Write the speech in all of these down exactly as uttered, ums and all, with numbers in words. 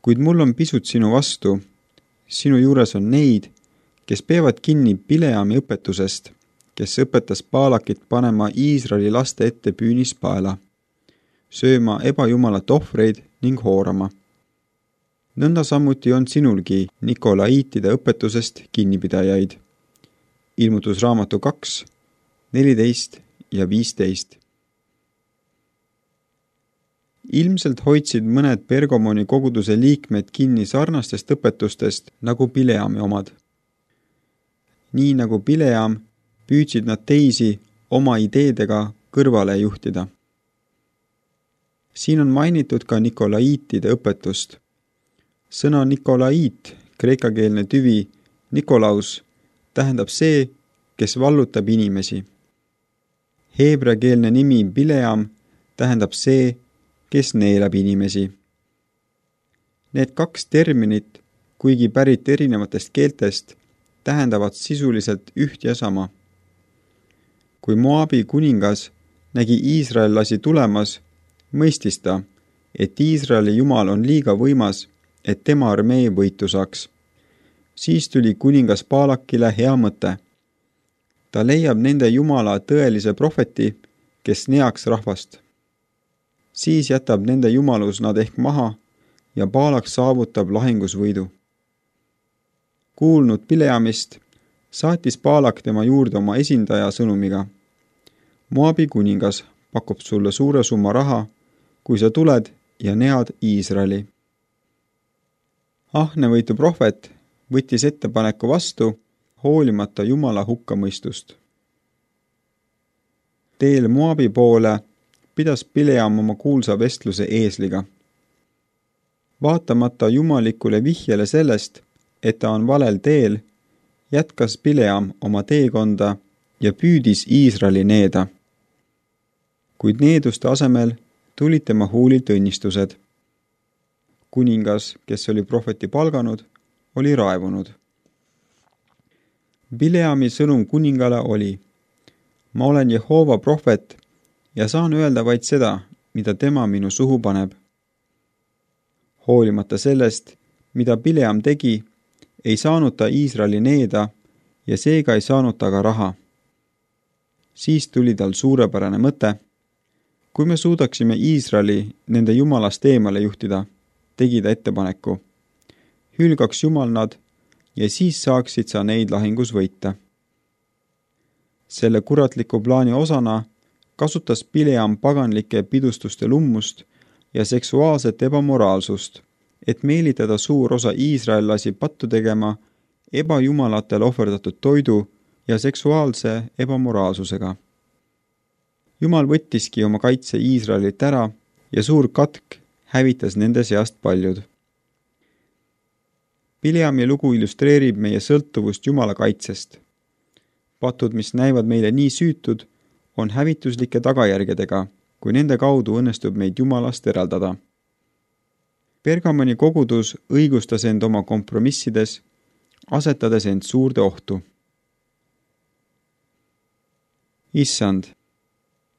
Kuid mul on pisut sinu vastu. Sinu juures on neid, kes peavad kinni Bileami õpetusest, kes õpetas Baalakit panema Iisraeli laste ette püünispaela, sööma ebajumalat ohvreid ning hoorama. Nõnda samuti on sinulgi Nikolaiitide õpetusest kinnipidajaid. Ilmutusraamatu kaks, neliteist ja viisteist. Ilmselt hoidsid mõned Pergamoni koguduse liikmed kinni sarnastest õpetustest nagu Bileami omad. Nii nagu Bileam, püüdsid nad teisi oma ideedega kõrvale juhtida. Siin on mainitud ka Nikolaiitide õpetust. Sõna Nikolaiit, kreekakeelne tüvi Nikolaus, tähendab see, kes vallutab inimesi. Heebreakeelne nimi Bileam tähendab see, kes neelab inimesi. Need kaks terminit, kuigi pärit erinevatest keeltest, tähendavad sisuliselt üht ja sama. Kui Moabi kuningas nägi iisraellasi tulemas, mõistis ta, et Iisraeli jumal on liiga võimas, et tema armee võitu saaks. Siis tuli kuningas Baalakile hea mõte. Ta leiab nende jumala tõelise prohveti, kes neaks rahvast. Siis jätab nende jumalus nad ehk maha ja Baalak saavutab lahingusvõidu. Kuulnud Bileamist, saatis Baalak tema juurde oma esindaja sõnumiga. Moabi kuningas pakub sulle suure summa raha, kui sa tuled ja nead Iisraeli. Ahnevõitu prohvet võttis ettepaneku vastu, hoolimata jumala hukkamõistust. Teel Moabi poole pidas Bileam oma kuulsa vestluse eesliga. Vaatamata jumalikule vihjele sellest, et ta on valel teel, jätkas Bileam oma teekonda ja püüdis Iisraeli needa. Kuid needuste asemel tulid tema huulilt õnnistused. Kuningas, kes oli prohveti palganud, oli raevunud. Bileami sõnum kuningale oli: ma olen Jehova prohvet ja saan öelda vaid seda, mida tema minu suhu paneb. Hoolimata sellest, mida Bileam tegi, ei saanud ta Iisraeli needa ja seega ei saanud ta ka raha. Siis tuli tal suurepärane mõte. Kui me suudaksime Iisraeli nende jumalast eemale juhtida, tegi ta ettepaneku. Hülgaks jumal nad ja siis saaksid sa neid lahingus võita. Selle kuratliku plaani osana kasutas Bileam paganlike pidustuste lummust ja seksuaalset ebamoraalsust, et meelitada suur osa iisraellasi pattu tegema ebajumalatele ohverdatud toidu ja seksuaalse ebamoraalsusega. Jumal võttiski oma kaitse Iisraelilt ära ja suur katk hävitas nende seast paljud. Bileami lugu illustreerib meie sõltuvust Jumala kaitsest. Patud, mis näivad meile nii süütud, on hävituslike tagajärgedega, kui nende kaudu õnnestub meid Jumalast eraldada. Pergamoni kogudus õigustas end oma kompromissides, asetades end suurde ohtu. Issand,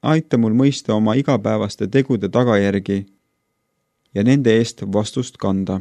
aita mul mõista oma igapäevaste tegude tagajärgi ja nende eest vastust kanda.